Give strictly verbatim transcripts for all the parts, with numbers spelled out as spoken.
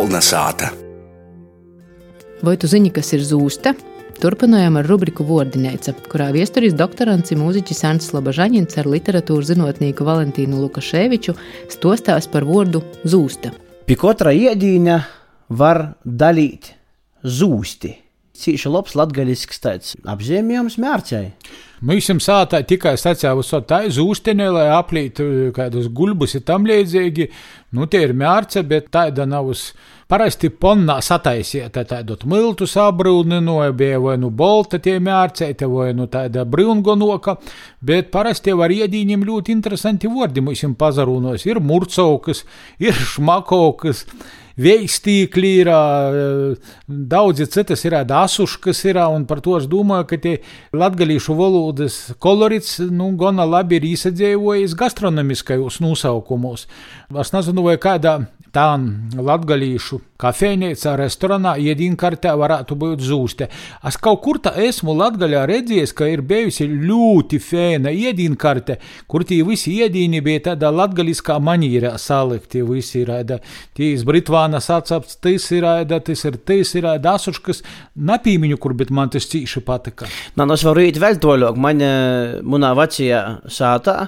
Kolna sāta. Vai tu zini, kas ir zūsta? Turpinājām ar rubriku Vordineica, kurā viesturis doktorants i mūziķis Ants Slobožaņins ar literatūras zinotnieku Valentīnu Lukaševiču stostās par vordu zūsta. Pie katra iedīņa var dalīt zūsti. Cīši labs latgaļisks tāds apzīmējums mērķei. Mēs jums sātā tikai sacēvu tā zūstenē, lai aplītu kādus gulbus ir tam līdzīgi. Nu, tie ir mērce, bet tāda nav uz parasti ponnā sataisieta, tādot miltu sabrūninoja, bija vai nu bolta tie mērceite, vai nu tāda brūngonoka, bet parasti var iedīņiem ļoti interesanti vordi. Mēs jums pazarūnos, ir murcaukas, ir šmakokas, veistīkļi ir, daudzi citas ir, asuškas ir, un par to es domāju, ka tie latgalīšu valodas kolorits, nu, gana labi ir īsadzējojis gastronomiskajos nosaukumos. Es nezinu, vai kādā tā latgalīšu kafejnīcā, restorānā, iedīnkartē varētu būt zūste. Es kaut kur tā esmu Latgaļā redzējis, ka ir bijusi ļoti fēna iedīnkarte, kur tie visi iedīni bija tādā latgaliskā manīrā salikti. Visi ir, tie iz Britvānas atsaps, tas ir, tas ir, tas ir, asuškas, napīmiņu, kur, bet man tas cīši patika. Man es varu īt vēl toļok, man, munā vecajā sātā,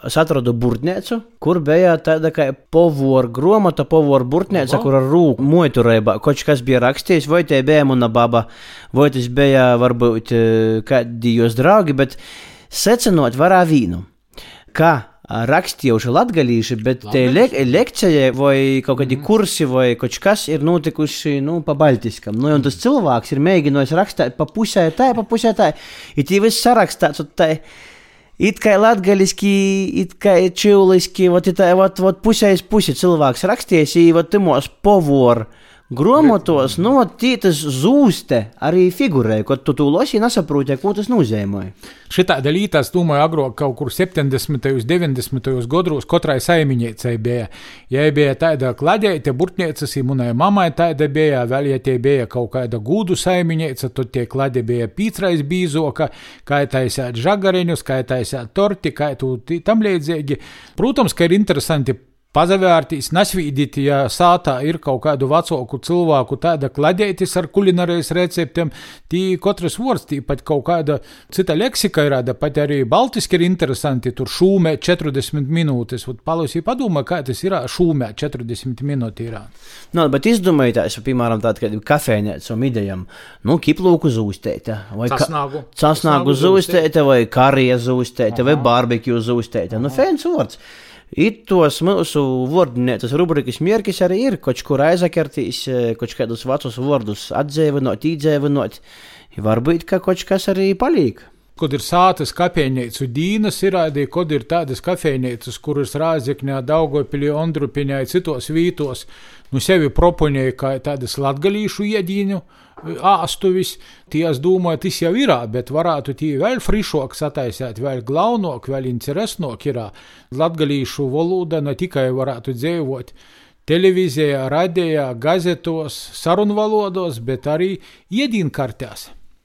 es atradu burtnēcu, kur bija tāda kā povoru gromata, povoru burtnēca, kur ar rūku moiturībā kaut kas bija rakstījis, vai te bija muna baba, vai tas bija varbūt kādi jūs draugi, bet secinot varā vīnu, ka rakstījuši latgalīši, bet te le- lekcijai vai kaut kādi kursi vai kaut kas ir notikuši, nu, pa baltiskam. Nu, un tas cilvēks ir mēģinājis rakstīt pa pusē tā, pa pusē tā, ir tī viss sarakstāts, un tā it kā latgaliski, it kā čivliski, vot, it, vot, vot pusēs pusi cilvēks raksties, i vot timos povoru gromotos, nu, vot tī tas zūste arī figurē, kad tu tu losi nesaprūti, ko tas nozīmē. Šitāda līta, es domāju, agrāk kaut kur septiņdesmitajos, deviņdesmitajos gadros katrai saimiņiecei bija. Ja bija tāda kladeite, burtniecas, i munai mamai tāda bija, vēl ja tie bija kaut kāda gūdu saimiņieca, tad tie klade bija pīcrais bīzoka, kā taisāt žagareņus, kā taisāt torti, kā tu tam līdzīgi. Protams, ka ir interesanti pazavērtīs, nasvīdīt, ja sātā ir kaut kādu vecāku cilvēku tāda kladētis ar kulinārijas receptiem, tī katrs vords, tī pat kaut kāda cita leksika ir, pat arī baltiski ir interesanti, tur šūmē četrdesmit minūtes, vat palusī padomā, kā tas ir šūmē četrdesmit minūti ir. Nu, bet izdomājotājs, piemēram, tādu kādu kafejnēcam idejam, nu, kiplūku zūstēta, vai Casnāgu. Ka- casnāgu zūstēta, vai karija zūstēta, vai barbekju zūstēta, nu, fēns vords. Itos mūsu vordinētas rubrikas mierkis arī ir, koč kur aizakartīs, koč kādus vecus vordus atdzēvinot, īdzēvinot, varbūt, ka koč kas arī palīk. Kad ir sātas kafejnīcu dīnas, ir arī, kad ir tādas kafejnīcas, kuras Rāzekņā, Daugavpilī, Ondrupiņā, citos vītos, nu sevi proponēja kā tādas latgalīšu iedīņu āstuvis, tie, es domāju, tas jau ir, bet varētu tie vēl frišok sataisēt, vēl glaunok, vēl interesnok ir. Latgalīšu valoda ne tikai varētu dzīvot televīzijā, radijā, gazetos, sarunvalodos, bet arī iedīnkartēs.